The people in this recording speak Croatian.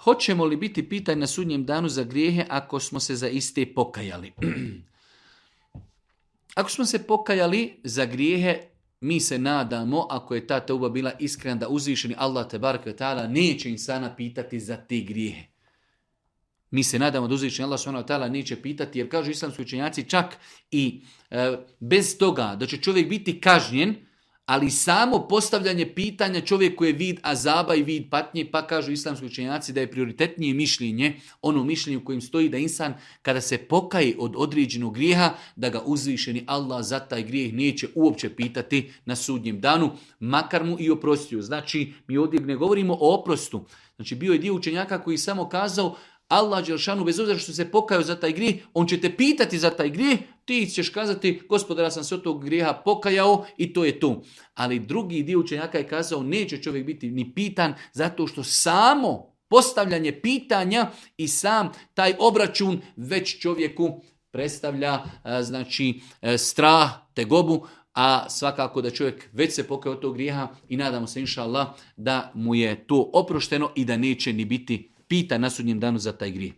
hoćemo li biti pitani na sudnjem danu za grijehe ako smo se za iste pokajali? Ako smo se pokajali za grijehe, mi se nadamo, ako je ta teuba bila iskrena, da uzvišeni Allah tebareke ve taala neće insana pitati za te grijehe. Mi se nadamo da uzvišeni Allah subhanahu wa ta'ala neće pitati, jer kažu islamski učenjaci čak i bez toga da će čovjek biti kažnjen, ali samo postavljanje pitanja čovjeku je vid azaba i vid patnje, pa kažu islamski učenjaci da je prioritetnije mišljenje, ono mišljenje u kojim stoji da insan kada se pokaje od određenog grijeha, da ga uzvišeni Allah za taj grijeh neće uopće pitati na sudnjem danu, makar mu i oprostio. Znači, mi ovdje ne govorimo o oprostu. Znači, bio je dio učenjaka koji samo kazao Allah dželešanu, bez obzira što se pokajao za taj grijeh, on će te pitati za taj grijeh, ti ćeš kazati, gospodara, sam se od tog grijeha pokajao i to je to. Ali drugi dio učenjaka je kazao, neće čovjek biti ni pitan, zato što samo postavljanje pitanja i sam taj obračun već čovjeku predstavlja strah, tegobu, a svakako da čovjek već se pokajao od tog grijeha i nadamo se inša Allah da mu je to oprošteno i da neće ni biti pitan na sudnjem danu za taj grijeh.